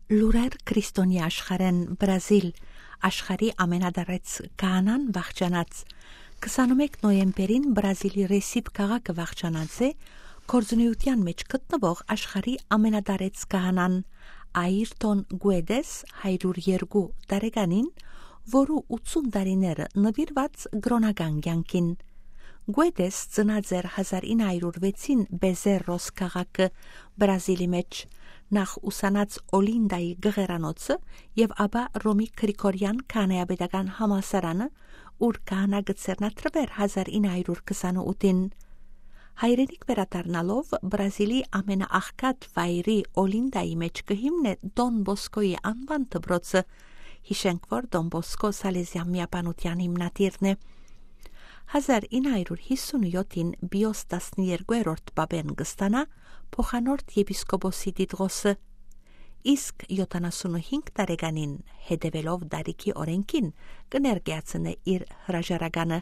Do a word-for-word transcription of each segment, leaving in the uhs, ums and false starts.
Լուրեր քրիստոնեայ աշխարհէն։ Բրազիլ, աշխարհի ամենատարեց քահանան վախճանած։ Քսանմէկ նոյեմբերին Բրազիլի Ռեսիփ քաղաքը վախճանած է գործունեութեան մէջ գտնուող աշխարհի ամենատարեց քահանան՝ Աիրտոն Գուեդես, հարիւր երկու տարեկանին, որու ութսուն տարիները նուիրուած կրօնական կեանքին։ Գուեդես ծնած էր հազար ինը հարիւր վեցին Բեզերրոս քաղաքը, Բրազիլի մէջ։ Նախ ուսանած Օլինդայի գղերանոցը եւ ապա Ռոմի Գրիգորեան քահանայապետական համալսարանը, ուր քահանայ կը ձեռնադրուէր հազար ինը հարիւր քսանութին։ Հայրենիք վերադառնալով, Բրազիլի ամենաաղքատ վայրի Օլինդայի մէջ կը հիմնէ Տոն Բոսկոյի անուան դպրոցը։ Յիշենք, որ Տոն Բոսկո Սալեզեան միաբանութեան հիմնադիրն է։ Հազար ինը հարիւր յիսունյոթին Պիոս տասներկուերորդ պապէն կը ստանայ փոխանորդ եպիսկոպոսի տիտղոսը, իսկ յոթանասունհինգ տարեկանին, հետեւելով Դարիքի օրէնքին, կը ներկայացնէ իր հրաժարականը,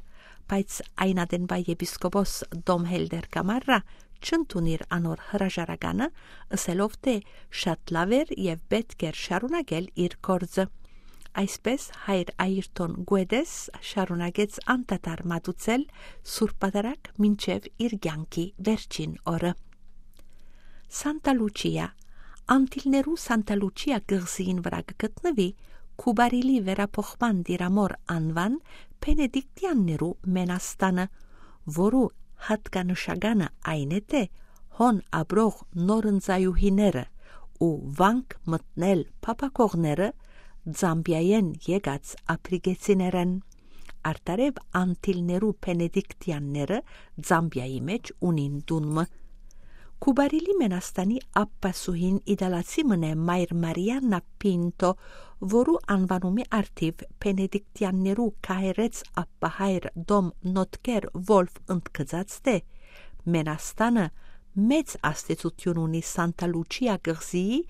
բայց այն ատենուայ եպիսկոպոս Տոմ Հելդեր Կամարրա չընդունիր անոր հրաժարականը, ըսելով թէ շատ լաւ էր եւ պէտք էր շարունակել իր գործը։ Այսպէս, հայր Աիրտոն Գուեդես շարունակեց անդադար մատուցել Սուրբ Պատարագ մինչեւ իր կեանքի վերջին օրը։ Սանտա Լուչիա։ Անտիլներու Սանտա Լուչիա կղզիին վրայ կը գտնուի Քուպարիլի վերափոխման տիրամօր անուան Բենեդիկտեաններու մենաստանը, որու յատկանշականը այն է թէ հոն ապրող նորընծայուհիները ու վանք մտնել փափաքողները Զամբիայէն եկած ափրիկեցիներ են, արդարեւ անտիլներու Բենեդիկտեանները Զամբիայի մէջ ունին տուն մը։ Քուպարիլի մենաստանի ափ պասուհին իտալացի մըն է մայր Մարիաննա Պինտո, որու անուանումի առթիւ Բենեդիկտեաններու քահերէց ափ հայր Տոմ Նոտքեր Վոլֆ ընդգծած թէ մենաստանը մեծ ազդեցութիւն ունի Սանտա Լուչիա կղզիի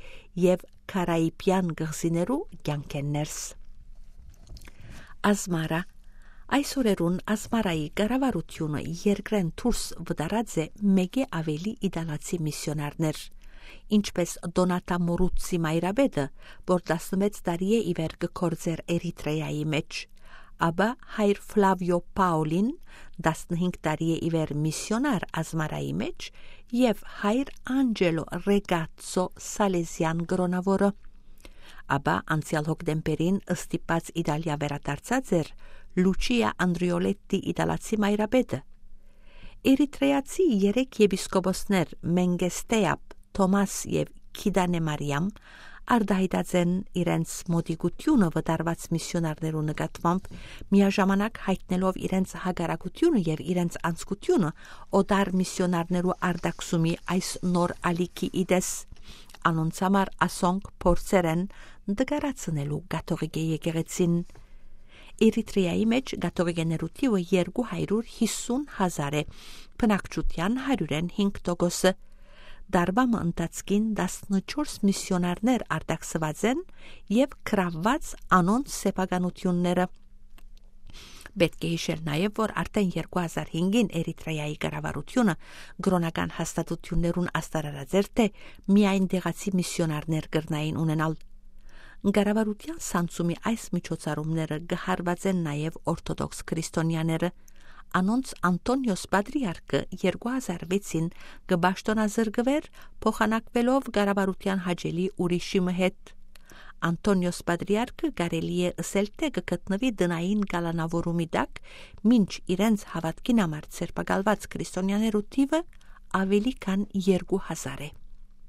եւ Կարաիբեան կղզիներու կեանքէն ներս։ Ազմարա։ Այս օրերուն Ազմարայի կառավարութիւնը երկրէն դուրս վտարած է մէկէ աւելի իտալացի միսիոնարներ, ինչպէս Տոնատա Մորուցցի մայրապետը, որ տասնմեծ տարի է ի վեր կը գործէր Էրիթրեայի մէջ, ապա հայր Ֆլավիո Պաոլին, տասնհինգ տարի է ի վեր միսիոնար Ազմարայի մէջ, եւ հայր Անջելո Ռեգացցո Սալեզեան կրօնաւորը։ Ապա անցեալ հոկտեմբերին ստիպած Իտալիա վերադարձած էր Լուչիա Անդրիոլետտի իտալացի մայրապետը։ Էրիթրեացի երեք եպիսկոպոսներ՝ Մենգեստեապ, Թոմաս եւ Քիդանե Մարիամ, արտահայտած են իրենց մոտիկութիւնը վտարուած միսիոնարներու նկատմամբ, միաժամանակ յայտնելով իրենց հակառակութիւնը եւ իրենց անձկութիւնը օտար միսիոնարներու արտաքսումի այս նոր ալիքի ի տես։ Անոնց համար ասոնք փորձեր են նկարացնելու կաթողիկէ եկեղեցին։ Էրիթրեայի մէջ կաթողիկեներու թիւը երկու հարիւր յիսուն հազար է, բնակչութեան հարիւրէն հինգ տոկոսը։ Տարուայ մը ընթացքին տասնչորս միսիոնարներ արտաքսուած են եւ գրաւուած անոնց սեփականութիւնները։ Պէտք է յիշել նաեւ, որ արդէն երկու հազար հինգին Էրիթրեայի կառավարութիւնը կրօնական հաստատութիւններուն ազդարարած էր թէ միայն տեղացի միսիոնարներ կրնային ունենալ։ Կառավարութեան սանձումի այս միջոցառումները կը հարուածեն նաեւ օրթոդոքս քրիստոնեաները։ Անոնց Անտոնիոս պատրիարքը երկու հազար վեցին կը պաշտօնազրկուէր՝ փոխանակուելով կառավարութեան հաճելի ուրիշի մը հետ։ Անտոնիոս պատրիարքը, կարելի է ըսել թէ կը գտնուի տնային կալանաւորումի տակ, մինչ իրենց հաւատքին համար ձերբակալուած քրիստոնեաներու թիւը աւելի քան երկու հազար է։